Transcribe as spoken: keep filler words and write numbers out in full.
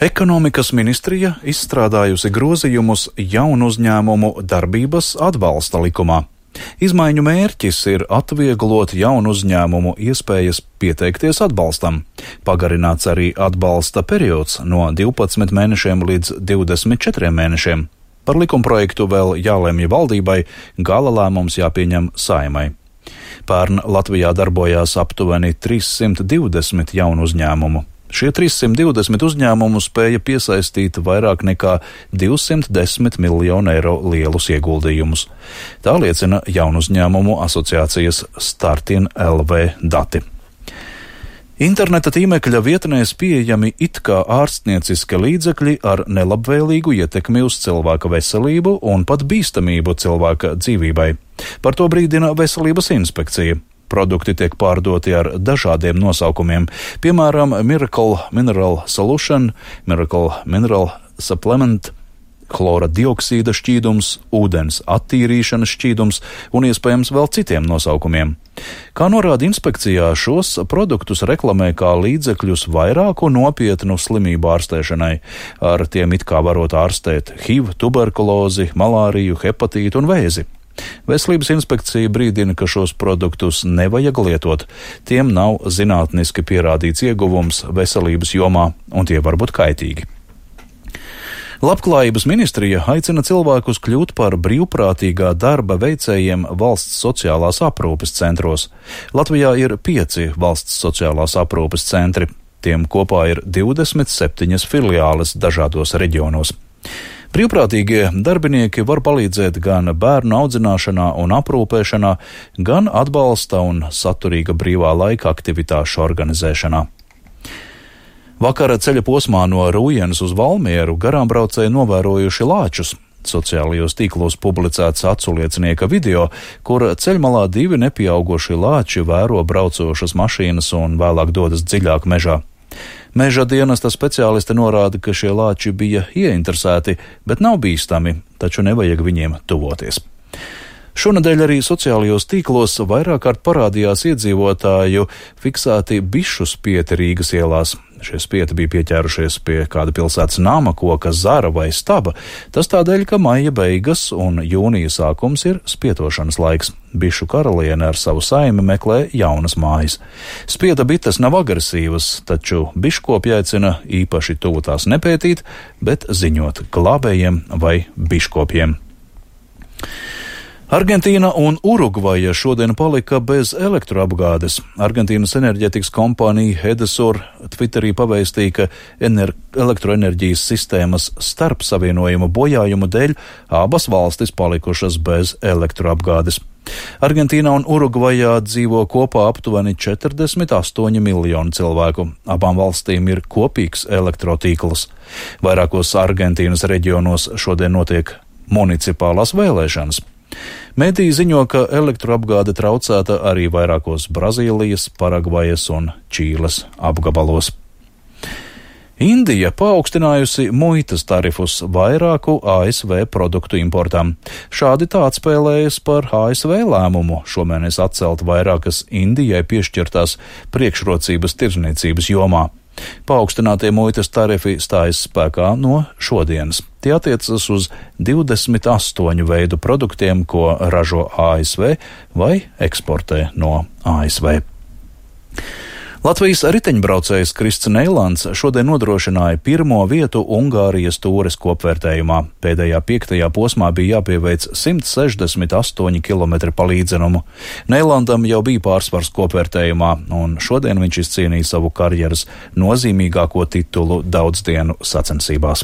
Ekonomikas ministrija izstrādājusi grozījumus jaunu uzņēmumu darbības atbalsta likumā. Izmaiņu mērķis ir atvieglot jaunu uzņēmumu iespējas pieteikties atbalstam. Pagarināts arī atbalsta periods no divpadsmit mēnešiem līdz divdesmit četriem mēnešiem. Par likumprojektu vēl jālemj valdībai, gala lēmums jāpieņem Saeimai. Pērn Latvijā darbojās aptuveni trīssimt divdesmit jaunu uzņēmumu. Šie trīssimt divdesmit uzņēmumu spēja piesaistīt vairāk nekā divsimt desmit miljonu eiro lielus ieguldījumus. Tā liecina jaunu uzņēmumu asociācijas Startin L V dati. Interneta tīmekļa vietnēs pieejami it kā ārstnieciskie līdzekļi ar nelabvēlīgu ietekmi uz cilvēka veselību un pat bīstamību cilvēka dzīvībai. Par to brīdina Veselības inspekcija. Produkti tiek pārdoti ar dažādiem nosaukumiem, piemēram, Miracle Mineral Solution, Miracle Mineral Supplement, chlora dioksīda šķīdums, ūdens attīrīšanas šķīdums un iespējams vēl citiem nosaukumiem. Kā norāda inspekcijā, šos produktus reklamē kā līdzekļus vairāku nopietnu slimību ārstēšanai. Ar tiem it kā varot ārstēt H I V, tuberkulozi, malāriju, hepatītu un vēzi. Veselības inspekcija brīdina, ka šos produktus nevajag lietot. Tiem nav zinātniski pierādīts ieguvums veselības jomā, un tie var būt kaitīgi. Labklājības ministrija aicina cilvēkus kļūt par brīvprātīgā darba veicējiem valsts sociālās aprūpes centros. Latvijā ir pieci valsts sociālās aprūpes centri. Tiem kopā ir divdesmit septiņas filiāles dažādos reģionos. Brīvprātīgie darbinieki var palīdzēt gan bērnu audzināšanā un aprūpēšanā, gan atbalsta un saturīga brīvā laika aktivitāšu organizēšanā. Vakara ceļa posmā no Rūjenes uz Valmieru garām braucēji novērojuši lāčus. Sociālajos tīklos publicēts aculiecinieka video, kur ceļmalā divi nepieauguši lāči vēro braucošas mašīnas un vēlāk dodas dziļāk mežā. Meža dienesta speciālisti norāda, ka šie lāči bija ieinteresēti, bet nav bīstami, taču nevajag viņiem tuvoties. Šonadēļ arī sociālajos tīklos vairāk kārt parādījās iedzīvotāju fiksēti bišu spieti Rīgas ielās. Šie spieti bija pieķērušies pie kāda pilsētas nama, koka, zara vai staba. Tas tādēļ, ka maija beigas un jūnija sākums ir spietošanas laiks. Bišu karaliene ar savu saimi meklē jaunas mājas. Spieda bites nav agresīvas, taču biškopi aicina īpaši tuvu tās nepētīt, bet ziņot glābējiem vai biškopiem. Argentīna un Urugvaja šodien palika bez elektroapgādes. Argentīnas enerģētikas kompānija Edesur Twitterī pavēstīja, ka ener- elektroenerģijas sistēmas starpsavienojuma bojājumu dēļ abas valstis palikušas bez elektroapgādes. Argentīnā un Urugvajā dzīvo kopā aptuveni četrdesmit astoņi miljoni cilvēku. Abām valstīm ir kopīgs elektrotīkls. Vairākos Argentīnas reģionos šodien notiek municipālās vēlēšanas. Mediji ziņo, ka elektroapgāde traucēta arī vairākos Brazīlijas, Paragvajas un Čīles apgabalos. Indija paaugstinājusi muitas tarifus vairāku A S V produktu importam. Šādi tā atspēlējas par A S V lēmumu šomēnes atcelt vairākas Indijai piešķirtās priekšrocības tirdzniecības jomā. Paaugstinātie muitas tarifi stājas spēkā no šodienas. Tie attiecas uz divdesmit astoņu veidu produktiem, ko ražo A S V vai eksportē no A S V. Latvijas riteņbraucējs Krists Neilants šodien nodrošināja pirmo vietu Ungārijas tūres kopvērtējumā. Pēdējā piektajā posmā bija jāpieveic simt sešdesmit astoņi kilometri pa līdzenumu. Neilandam jau bija pārsvars kopvērtējumā, un šodien viņš izcīnīja savu karjeras nozīmīgāko titulu daudzdienu sacensībās.